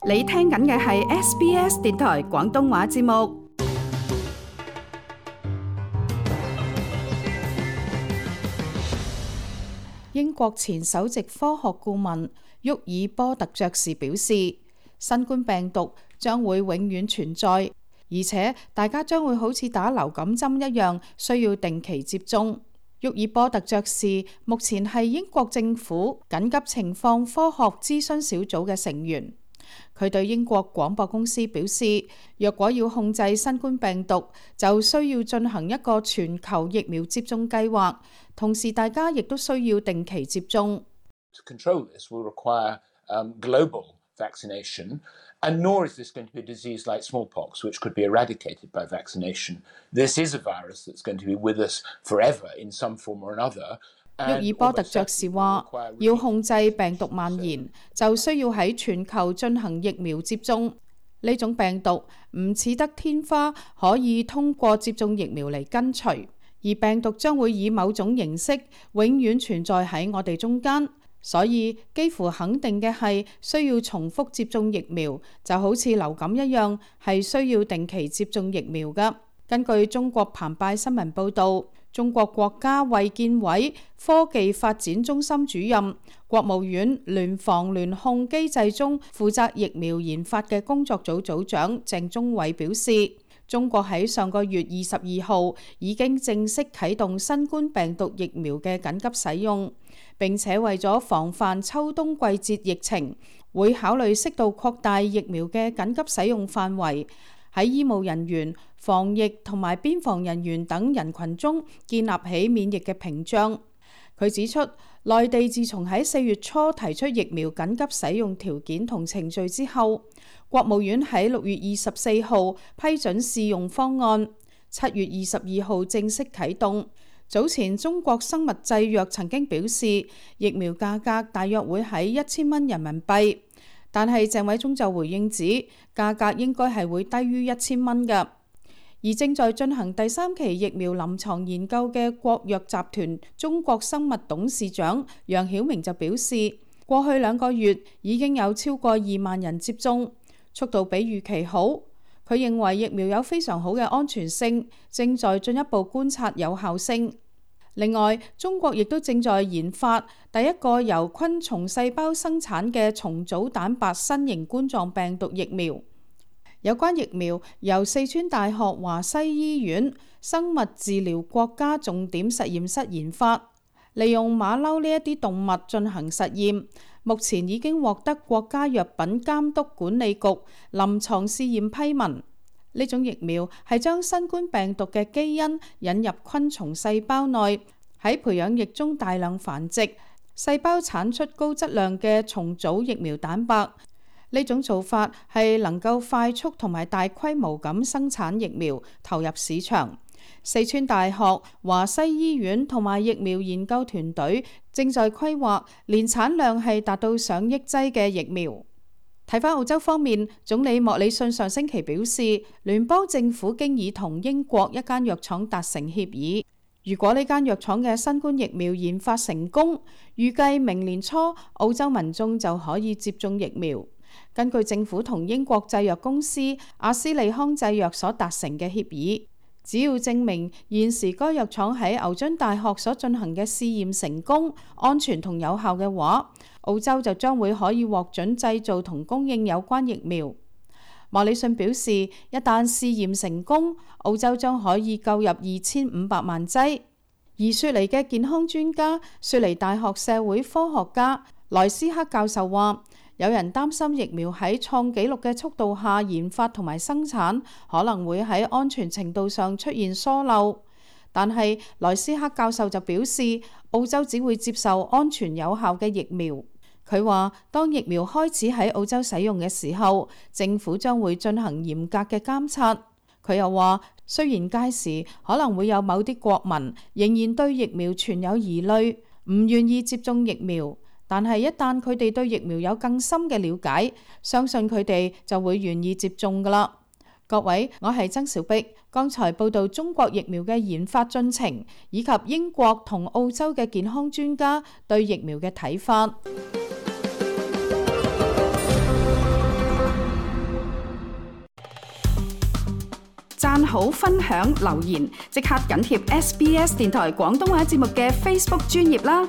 你聽緊嘅係 SBS 電台廣東話節目。英國前首席科學顧問沃爾波特爵士表示，新冠病毒將會永遠存在，而且大家將會好似打流感針一樣，需要定期接種。沃爾波特爵士目前係英國政府緊急情況科學諮詢小組嘅成員。佢對英國廣播公司表示，若果要控制新冠病毒，就需要進行一個全球疫苗接種計劃，同時大家亦都需要定期接種。To control this will require global vaccination, and nor is this going to be a disease like smallpox, which could be eradicated by vaccination. This is a virus that's going to be with us forever in some form or another. 沃爾波特爵士話，要控制病毒蔓延，就需要喺全球進行疫苗接種。呢種病毒唔似得天花可以通過接種疫苗嚟根除，而病毒將會以某種形式永遠存在喺我哋中間。所以幾乎肯定嘅係需要重複接種疫苗，就好似流感一樣，係需要定期接種疫苗㗎。根據中國澎湃新聞報導，中國國家衛健委科技發展中心主任、國務院聯防聯控機制中負責疫苗研發嘅工作組組長鄭中偉表示，中國喺上個月22號已經正式啟動新冠病毒疫苗嘅緊急使用，並且為咗防範秋冬季節疫情，會考慮適度擴大疫苗嘅緊急使用範圍，喺醫務人員、防疫同埋邊防人員等人群中建立起免疫嘅屏障。佢指出，內地自從喺4月初提出疫苗緊急使用條件同程序之後，國務院喺6月24號批准試用方案，7月22號正式啟動。早前中國生物製藥曾經表示，疫苗價格大約會喺1000蚊人民幣，但係鄭偉忠就回應指，價格應該係會低於1000蚊嘅。而正在進行第3期疫苗臨床研究嘅國藥集團中國生物董事長楊曉明就表示，過去2個月已經有超過2萬人接種，速度比預期好。佢認為疫苗有非常好嘅安全性，正在進一步觀察有效性。另外，中國亦都正在研發第一個由昆蟲細胞生產嘅重組蛋白新型冠狀病毒疫苗。有關疫苗由四川大學華西醫院生物治療國家重點實驗室研發，利用馬騮呢一啲動物進行實驗，目前已經獲得國家藥品監督管理局臨床試驗批文。呢種疫苗係將新冠病毒嘅基因引入昆蟲細胞內，喺培養液中大量繁殖，細胞產出高質量嘅重組疫苗蛋白。呢種做法係能夠快速同埋大規模咁生產疫苗，投入市場。四川大學、華西醫院同埋疫苗研究團隊正在規劃，年產量係達到上億劑嘅疫苗。睇返澳洲方面，總理莫里遜上星期表示，聯邦政府經已同英國一間藥廠達成協議，如果呢間藥廠嘅新冠疫苗研發成功，預計明年初澳洲民眾就可以接種疫苗。根據政府同英國製藥公司阿斯利康製藥所達成嘅協議，只要證明現時該藥廠喺牛津大學所進行嘅試驗成功、安全同有效嘅話，澳洲就將會可以獲准製造同供應有關疫苗。莫里遜表示，一旦試驗成功，澳洲將可以購入2500萬劑。而雪梨嘅健康專家、雪梨大學社會科學家萊斯克教授話，有人擔心疫苗喺創紀錄嘅速度下研發同埋生產，可能會喺安全程度上出現疏漏。但係萊斯克教授就表示，澳洲只會接受安全有效嘅疫苗。佢話，當疫苗開始喺澳洲使用嘅時候，政府將會進行嚴格嘅監察。佢又話，雖然屆時可能會有某啲國民仍然對疫苗存有疑慮，唔願意接種疫苗，但係一旦佢哋對疫苗有更深嘅了解，相信佢哋就會願意接種㗎喇。各位，我係曾小碧，剛才報道中國疫苗嘅研發進程，以及英國同澳洲嘅健康專家對疫苗嘅睇法。讚好、分享、留言，即刻緊貼SBS 電台廣東話節目嘅 Facebook 專頁啦！